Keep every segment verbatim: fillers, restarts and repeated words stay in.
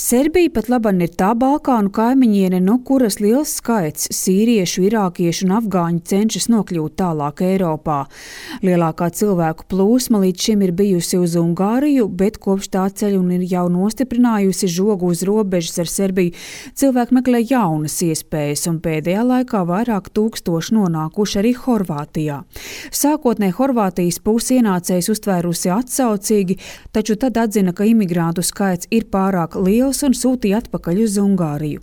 Serbija pat laban ir tā Balkānu kaimiņiene, no kuras liels skaits sīriešu, irākiešu un afgāņu cenšas nokļūt tālāk Eiropā. Lielākā cilvēku plūsma līdz šim ir bijusi uz Ungāriju, bet kopš tā ceļa un ir jau nostiprinājusi žogu uz robežas ar Serbiju. Cilvēki meklē jaunas iespējas, un pēdējā laikā vairāk tūkstoši nonākuši arī Horvātijā. Sākotnēji Horvātijas puse ienācējs uztvērusi atsaucīgi, taču tad atzina, ka imigrantu skaits ir pārāk liels un sūtīja atpakaļ uz Ungāriju.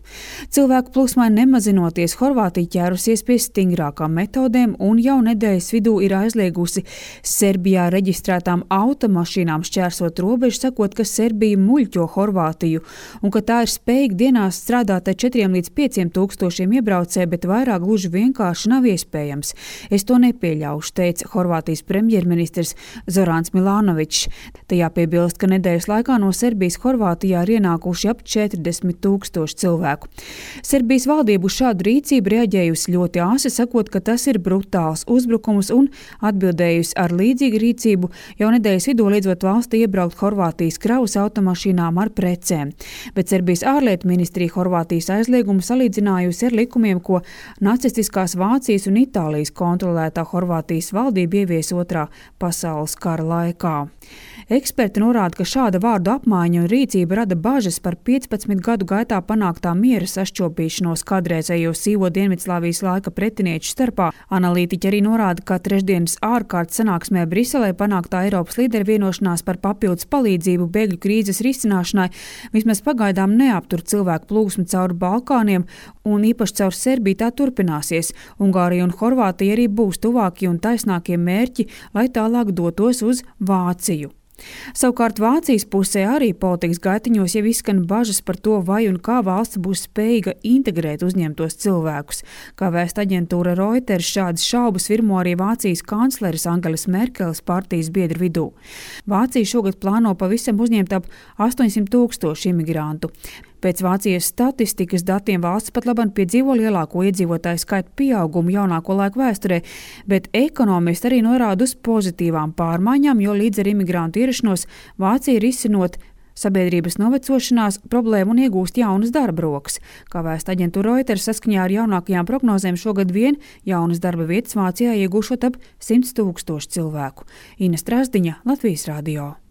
Cilvēku plūsmai nemazinoties, Horvātija ķērusies pie stingrākām metodēm un jau nedēļas vidū ir aizliegusi Serbijā reģistrētām automašīnām šķērsot robežu, sakot, ka Serbija muļķo Horvātiju un ka tā ir spējīga dienās strādāt ar četriem līdz pieciem tūkstošiem iebraucēju, bet vairāk gluži vienkārši nav iespējams. Es to nepieļaušu, teica Horvātijas premjerministrs Zorans Milanovičs. Tajā piebilst, ka nedēļas laikā no Serbijas Horvātijā ir ienākuši ap četrdesmit tūkstoši cilvēku. Serbijas valdība uz šādu rīcību reaģējusi ļoti āsi, sakot, ka tas ir brutāls uzbrukums un atbildējusi ar līdzīgu rīcību jau nedēļas vidū liedzot valstī iebraukt Horvātijas kravas automašīnām ar precēm. Bet Serbijas ārlietu ministrija Horvātijas aizliegumu salīdzinājusi ar likumiem, ko nacistiskās Vācijas un Itālijas kontrolētā Horvātijas valdība ievies otrā pasaules kara laikā. Eksperti norāda, ka šāda vārdu apmaiņa un rīcība rada bažas par piecpadsmit gadu gaitā panāktā miera sašķobīšanos kādreizējo sīvo Dienvidslāvijas laika pretinieču starpā. Analītiķi arī norāda, ka trešdienas ārkārtas sanāksmē Briselē panāktā Eiropas līderu vienošanās par papildus palīdzību bēgļu krīzes risināšanai vismaz pagaidām neaptur cilvēku plūsmu cauri Balkāniem, un īpaši caur Serbiju tā turpināsies. Ungārija un Horvātija arī būs tuvākie un taisnākie mērķi, lai tālāk dotos uz Vāciju. Savukārt Vācijas pusē arī politikas gaitiņos jau izskan bažas par to, vai un kā valsts būs spējīga integrēt uzņemtos cilvēkus. Kā vēsta aģentūra Reuters, šādas šaubas virmo arī Vācijas kancleres Angelas Merkeles partijas biedru vidū. Vācija šogad plāno pavisam uzņemt ap astoņsimt tūkstoši imigrantu. Pēc Vācijas statistikas datiem valsts pat labam piedzīvo lielāko iedzīvotāju skaitu pieaugumu jaunāko laiku vēsturē, bet ekonomisti arī norāda uz pozitīvām pārmaiņām, jo līdz ar imigrantu ierašanos Vācija ir izsinot sabiedrības novecošanās problēmu un iegūst jaunas darba rokas. Kā vēsta aģentūra Reuters, saskaņā ar jaunākajām prognozēm šogad vien jaunas darba vietas Vācijā iegūšot ap simts tūkstoši cilvēku. Ina Strasdiņa, Latvijas radio.